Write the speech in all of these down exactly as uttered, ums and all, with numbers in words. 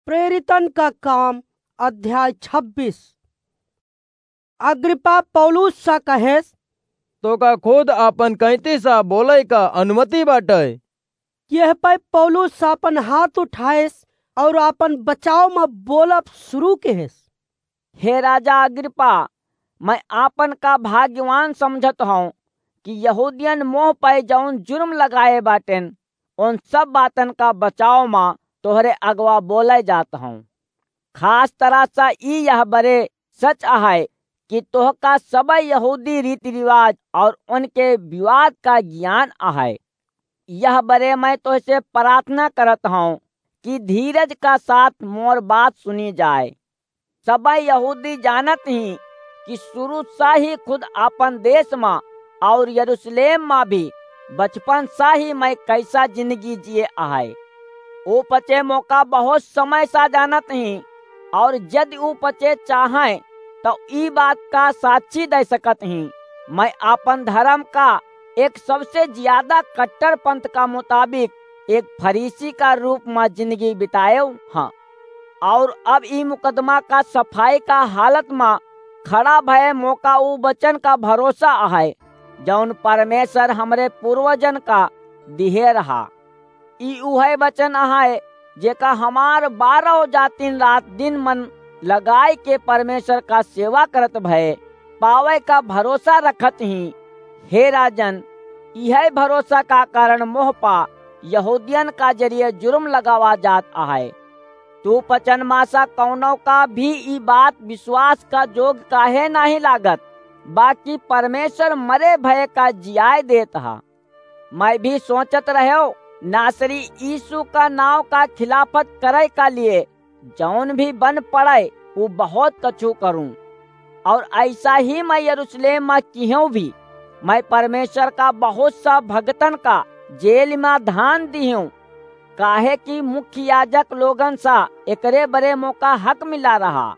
प्रेरितन का काम, अध्याय छब्बीस। अग्रिप्पा पौलुस सा कहेस, "तोका खुद आपन कैंती सा बोलै का अनुमति बाटै?" यह पै पौलुस आपन हाथ उठाएस और आपन बचाव म बोलब शुरू किहेस, "हे राजा अग्रिप्पा, मैं आपन का भाग्यवान समझत हौं कि यहूदियन मोह पै जौन जुर्म लगाए बाटेन, उन सब बातन का बचाव म तोहरे अगवा बोलै जात हौं। खास तरह से ई यह बरे सच अहै कि तोहका सबइ यहूदी रीति रिवाज और उनके विवाद का ज्ञान अहै। यह बरे मैं तोहसे प्रार्थना करत हौं कि धीरज का साथ मोर बात सुनी जाए। सबइ यहूदी जानत ही कि शुरू सा ही खुद आपन देश मा और यरूशलेम मा भी बचपन सा ही मैं कैसा जिंदगी जिए अहै। ऊ पचे मोका बहुत समय सा जानत ही और यदि ऊ पचे चाहै तो ई बात का साक्षी दे सकत ही। मैं आपन धर्म का एक सबसे ज्यादा कट्टर पंथ का मुताबिक एक फरीसी का रूप मा जिंदगी बिताएव हाँ। और अब ई मुकदमा का सफाई का हालत मा खड़ा भय मोका ऊ वचन का भरोसा अहै, जौन परमेश्वर हमरे पूर्वजन का दिहे रहा। ई उहै वचन अहै, जेका हमार बारह जातिन रात दिन मन लगाए के परमेश्वर का सेवा करत भय पावै का भरोसा रखत ही। हे राजन, इहै भरोसा का कारण मोह पा यहूदियन का जरिए जुर्म लगावा जात अहै। तू पचन मा सा कौनो का भी ई बात विश्वास का जोग काहे नाहीं लागत, बाकी परमेश्वर मरे भय का जियाए देत हा। मैं भी सोचत रह्यो, नासरी यीशु का नाव का खिलाफत करै का लिए जौन भी बन पड़ै, ऊ बहुत कछु करूं। और ऐसा ही मैं यरूशलेम मा किहूं भी, मैं परमेश्वर का बहुत सा भगतन का जेल मा धान दिहूं, काहे कि मुख्य याजक लोगन सा एकरे बरे मोका हक मिला रहा।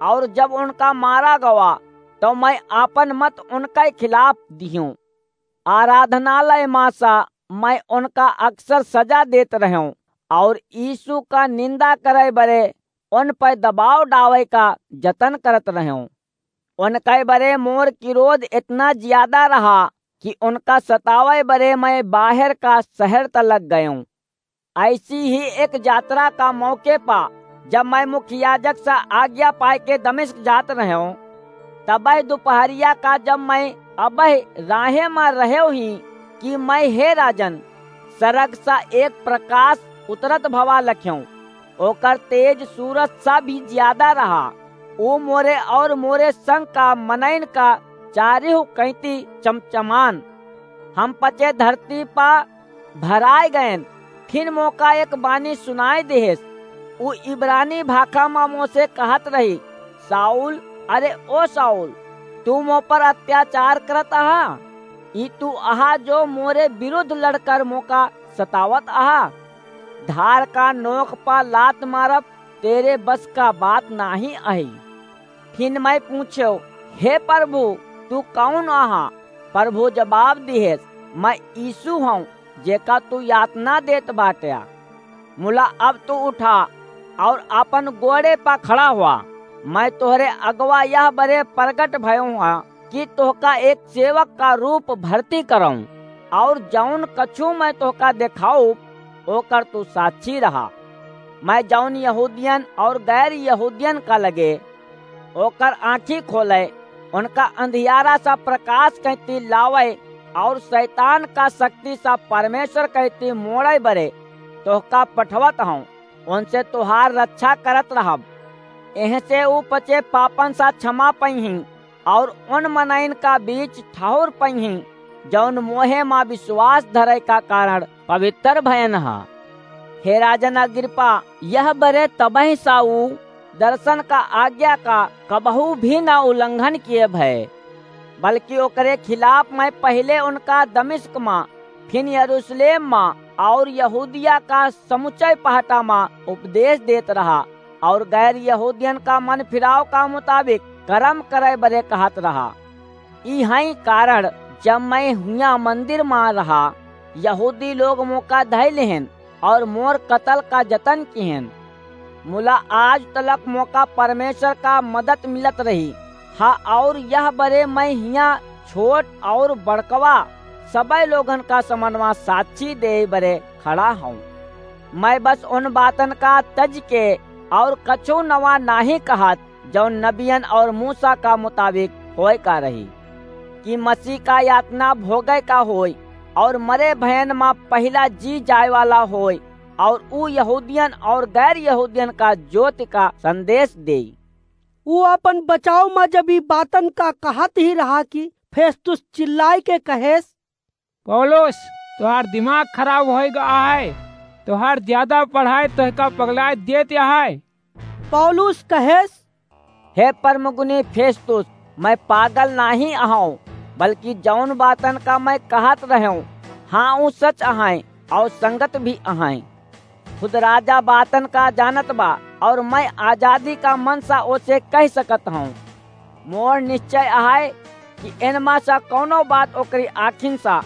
और जब उनका मारा गवा, तो मैं आपन मत उनके खिलाफ दिहूं। आराधनालय मा सा मैं उनका अक्सर सजा देत रह्यों और यीशु का निंदा करै बरे उन पर दबाव डावै का जतन करत रह्यों। उनके बरे मोर क्रोध इतना ज्यादा रहा कि उनका सतावै बरे मैं बाहर का शहर तलक गयों। ऐसी ही एक यात्रा का मौके पा जब मैं मुख्य याजक से आज्ञा पाए के दमिश्क जात रह्यों, तबै दोपहरिया का जब मैं अबह राहे मा रह्यो ही कि मैं, हे राजन, सरग सा एक प्रकाश उतरत भवा लख्यों। ओकर तेज सूरज सा भी ज्यादा रहा। ऊ मोरे और मोरे संग का मनइन का चारिहु कैंती चमचमान। हम पचे धरती पा भराए गएन। फिन मोका एक बानी सुनाई देहेस। ऊ इब्रानी भाखा मा मोसे कहत रही, "शाऊल, अरे ओ शाऊल, तू मो पर अत्याचार करत अहा? ई तू अहा जो मोरे विरुद्ध लड़कर मोका सतावत अहा? धार का नोक पा लात मारब तेरे बस का बात नाहीं अही।" फिन मैं पूछ्यो, "हे प्रभु, तू कौन अहा?" प्रभु जवाब दिहेस, "मैं यीशु हूँ, जेका तू यातना देत बाट्या। मुला अब तू उठा और अपन गोड़े पा खड़ा हुआ। मैं तोहरे अगवा यह बरे प्रगट भयो हूँ कि तोहका एक सेवक का रूप भर्ती करऊं, और जौन कछु मैं तोहका देखाऊब, ओकर तू साक्षी रहा। मैं जौन यहूदियन और गैर यहूदियन का लगे ओकर आँखी खोले, उनका अंधियारा सा प्रकाश कैंती लावे, और शैतान का शक्ति सा परमेश्वर कैंती मोड़े बरे तोहका पठवत हूँ, उनसे तोहार रक्षा करत रहब। एहसे ऊ पचे पापन सा क्षमा पइहीं, और उन मनइन का बीच ठहर पइहीं, जौन मोहे मा विश्वास धरे का कारण पवित्र भयन हा। हे राजन अग्रिप्पा, यह बरे तबहि सा ऊ दर्शन का आज्ञा का कबहू भी ना उल्लंघन किए भय, बल्कि ओकरे खिलाफ मैं पहिले उनका दमिश्क मा, फिन यरूशलेम मा और यहूदिया का समुचय पहटा मा उपदेश देत रहा, और गैर यहूदियन का मन फिराव का मुताबिक करम करे बरे कहत रहा। ई हई कारण, जब मैं हुआ मंदिर मा रहा, यहूदी लोग मोका धइ लेहन और मोर कतल का जतन किहन। मुला आज तलक मोका परमेश्वर का मदद मिलत रही। हाँ, और यह बरे मैं हियाँ छोट और बड़कवा सबइ लोगन का समनवा साक्षी देइ बरे खड़ा हौं। मैं बस उन बातन का तज के और कछु नवा नाहीं कहत, जौन नबियन और मूसा का मुताबिक होए का रही, कि मसीह का यातना भोगे का होए और मरे भयन मा पहिला जी जाए वाला होए, और ऊ यहूदियन और गैर यहूदियन का ज्योति का संदेश देई। ऊ अपन बचाव मा जब ई बातन का कहत ही रहा कि फेस्तुस चिल्लाए के कहेस, पौलुस, तोहार दिमाग खराब होए गा है, तोहार ज्यादा पढ़ाई तोहका पगलाए देत है। पौलुस कहेस, हे परमगुनी फेस्तुस, मैं पागल नाहीं अहौं, बल्कि जौन बातन का मैं कहत रहौं, हाँ, ऊ सच अहैं और संगत भी अहैं। खुद राजा बातन का जानत बा, और मैं आजादी का मन सा ओसे कह सकत हौं। मोर निश्चय अहै कि एनमा सा कौनो बात ओकरी आँखिन सा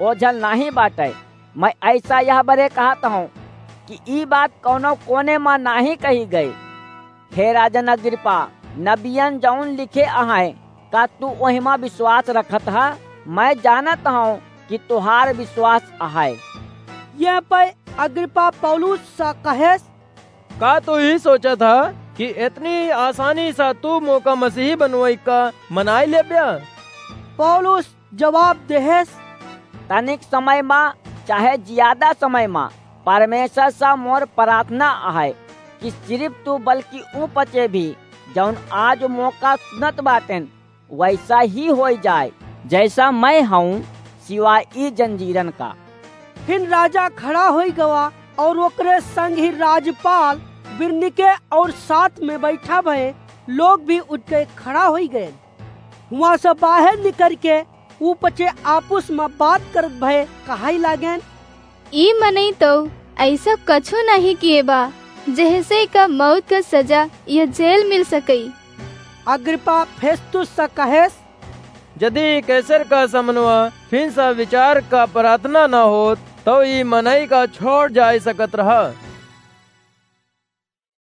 ओझल नाहीं बाटै। मैं ऐसा यह बरे कहत हौं कि ई बात कौनो कोने मा नाहीं कही गई। हे राजन अग्रिपा, नबियन जौन लिखे अहैं, का तू ओहिमा विश्वास रखत ह? मैं जानत हौं कि तोहार विश्वास अहै। यह पै अग्रिपा पौलुस सा कहेस, का तू ई सोचत ह कि एतनी आसानी सा तू मोका मसीही बनवई का मनाई लेब्या? पौलुस जवाब देहेस, तनिक समय मा चाहे ज्यादा समय मा परमेश्वर सा मोर प्रार्थना अहै कि सिर्फ तू बल्कि ऊ पचे भी जौन आज मोका सुनत बाटेन, वैसा ही होई जाए जैसा मैं हौं, सिवाय ई जंजीरन का। फिन राजा खड़ा होई गवा और ओकरे संग ही राजपाल बिरनीके और साथ में बैठा भए लोग भी उठ के खड़ा होई गए। हुआँ से बाहर निकर के ऊ पचे आपुस मा बात करत भए कहाई लागेन, ई मनई तो ऐसा कछु नहीं किए बा, जेहसे का मौत का सजा या जेल मिल सकई। अग्रिपा फेस्तुस सा कहेस, यदि कैसर का समनवा फिन सा विचार का प्रार्थना न होत, तो ई मनई का छोड़ जाए सकत रहा।